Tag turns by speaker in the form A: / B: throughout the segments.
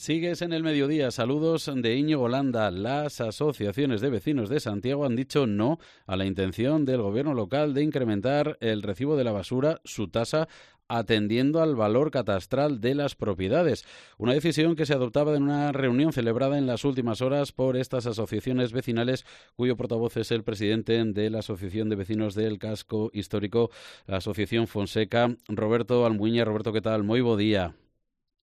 A: Sigues en el mediodía. Saludos de Íñigo Landa. Las asociaciones de vecinos de Santiago han dicho no a la intención del gobierno local de incrementar el recibo de la basura, su tasa, atendiendo al valor catastral de las propiedades. Una decisión que se adoptaba en una reunión celebrada en las últimas horas por estas asociaciones vecinales, cuyo portavoz es el presidente de la Asociación de Vecinos del Casco Histórico, la Asociación Fonseca, Roberto Almuiña. Roberto, ¿qué tal? Moi bo día.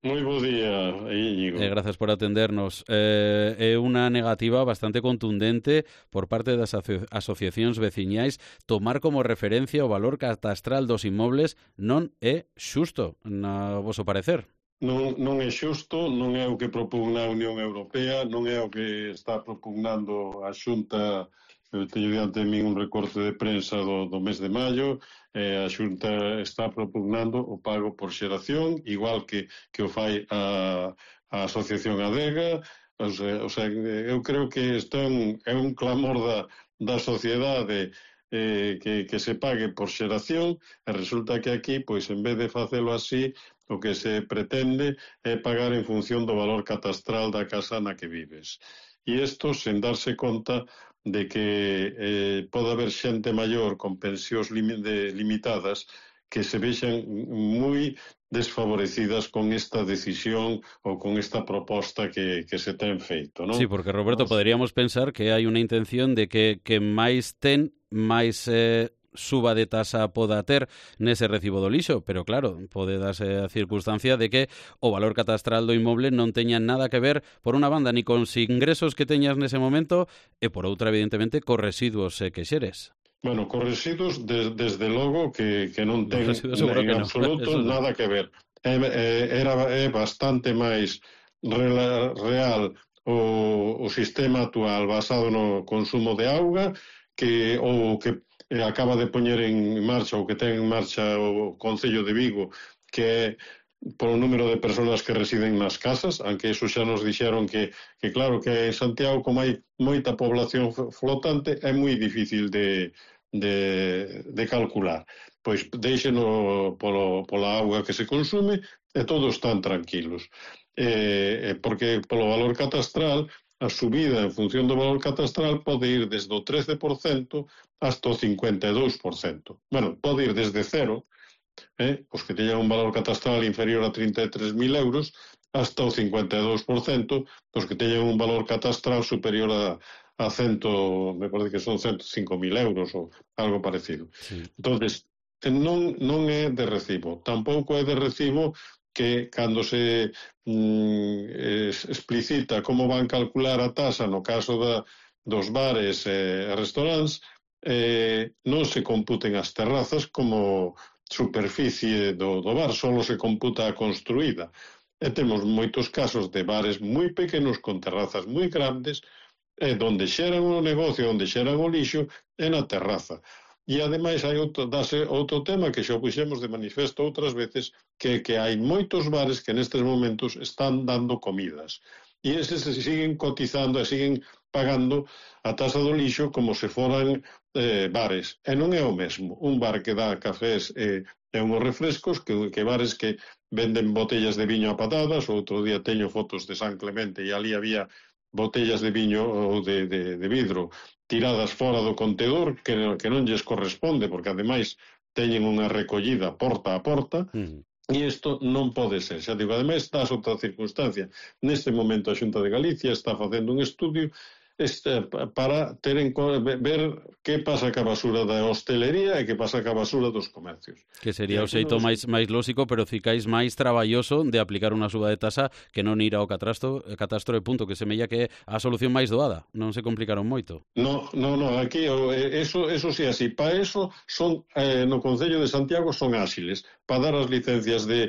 B: Moi bo día, Íñigo.
A: Gracias por atendernos. Unha negativa bastante contundente por parte das asociacións veciñais. Tomar como referencia o valor catastral dos inmobles non é xusto, na voso parecer.
B: Non é xusto, non é o que propugna a Unión Europea, non é o que está propugnando a Xunta. Eu teño diante de min un recorte de prensa do mes de maio. A Xunta está propugnando o pago por xeración, igual que o fai a Asociación Adega. O sea, eu creo que isto é un clamor da sociedade que se pague por xeración, e resulta que aquí, pois, en vez de facelo así, o que se pretende é pagar en función do valor catastral da casa na que vives. E isto sen darse conta de que pode haber xente maior con pensións limitadas que se vexan moi desfavorecidas con esta decisión ou con esta proposta que se ten feito, non?
A: Sí, porque, Roberto, poderíamos pensar que hai unha intención de que máis ten, máis suba de tasa poda ter nese recibo do lixo, pero claro, pode darse a circunstancia de que o valor catastral do inmoble non teña nada que ver, por unha banda, ni con os ingresos que teñas nese momento, e por outra, evidentemente, cos residuos que xeres.
B: Bueno, cos residuos, desde logo, que non ten en absoluto nada que ver. É bastante máis real o sistema actual basado no consumo de auga que o que acaba de poñer en marcha, ou que ten en marcha o Concello de Vigo, que é por o número de persoas que residen nas casas, aunque eso xa nos dixeron que claro, que en Santiago, como hai moita población flotante, é moi difícil de calcular. Pois deixeno pola auga que se consume e todos están tranquilos. Porque polo valor catastral, a subida en función do valor catastral pode ir desde o 13% hasta o 52%. Bueno, pode ir desde cero, os que teñan un valor catastral inferior a 33.000 euros, hasta o 52%, os que teñan un valor catastral superior a 100, me parece que son 105.000 euros ou algo parecido.
A: Sí.
B: Entonces, non é de recibo. Tampouco é de recibo que cando se explicita como van calcular a tasa no caso dos bares e restaurantes, non se computen as terrazas como superficie do bar, só se computa a construída. E temos moitos casos de bares moi pequenos con terrazas moi grandes, donde xeran o negocio, onde xeran o lixo, é na terraza. E, ademais, hai outro tema que xa puxemos de manifesto outras veces, que hai moitos bares que nestes momentos están dando comidas. E eses se siguen cotizando e siguen pagando a tasa do lixo como se foran bares. E non é o mesmo. Un bar que dá cafés e unhos refrescos que bares que venden botellas de viño a patadas. Outro día teño fotos de San Clemente e ali había botellas de viño ou de vidro tiradas fora do contedor que non lles corresponde, porque ademais teñen unha recollida porta a porta. E isto non pode ser. Xa digo, ademais está outra circunstancia. Neste momento a Xunta de Galicia está facendo un estudio para ver que pasa ca basura da hostelería e que pasa ca basura dos comercios.
A: Que sería o xeito máis lóxico, pero ficáis máis traballoso de aplicar unha suba de tasa que non ir ao catastro e punto, que semella que é a solución máis doada. Non se complicaron moito.
B: No, aquí eso sí así. Para eso son no Concello de Santiago son áxiles, para dar as licencias de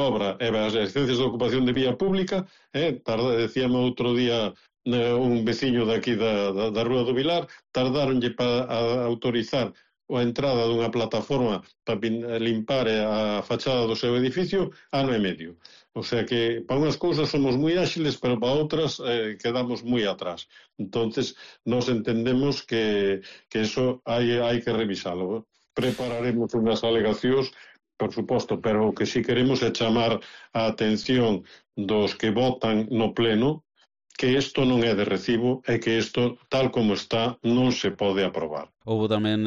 B: obra e as licencias de ocupación de vía pública. Decíame outro día un veciño daqui da Rúa do Vilar, tardaronlle para autorizar a entrada dunha plataforma para limpar a fachada do seu edificio ano e medio. O sea que para unhas cousas somos moi áxiles, pero para outras quedamos moi atrás. Entonces, nos entendemos que eso hai que revisalo. Prepararemos unhas alegacións Por suposto, pero o que si queremos é chamar a atención dos que votan no pleno que isto non é de recibo e que isto, tal como está, non se pode aprobar.
A: Houbo tamén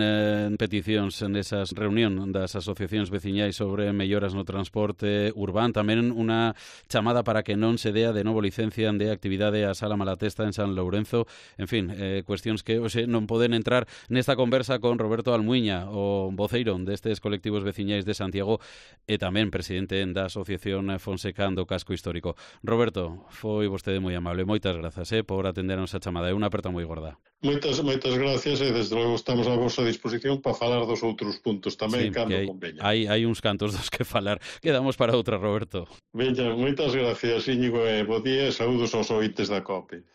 A: peticións nesas reunión das asociacións veciñais sobre melloras no transporte urbán, tamén unha chamada para que non se dea de novo licencia de actividade a Sala Malatesta en San Lourenzo. En fin, cuestións que hoxe non poden entrar nesta conversa con Roberto Almuiña, o voceiro destes colectivos veciñais de Santiago e tamén presidente da Asociación Fonseca do Casco Histórico. Roberto, foi vostede moi amable. Moitas grazas por atendernos a chamada. É unha aperta moi gorda.
B: Moitas gracias e desde logo estamos a vosa disposición para falar dos outros puntos tamén,
A: sí,
B: cando conveña.
A: Hai uns cantos dos que falar. Quedamos para outra, Roberto.
B: Veña, moitas gracias, Íñigo, e bo día e saúdos aos ointes da COPE.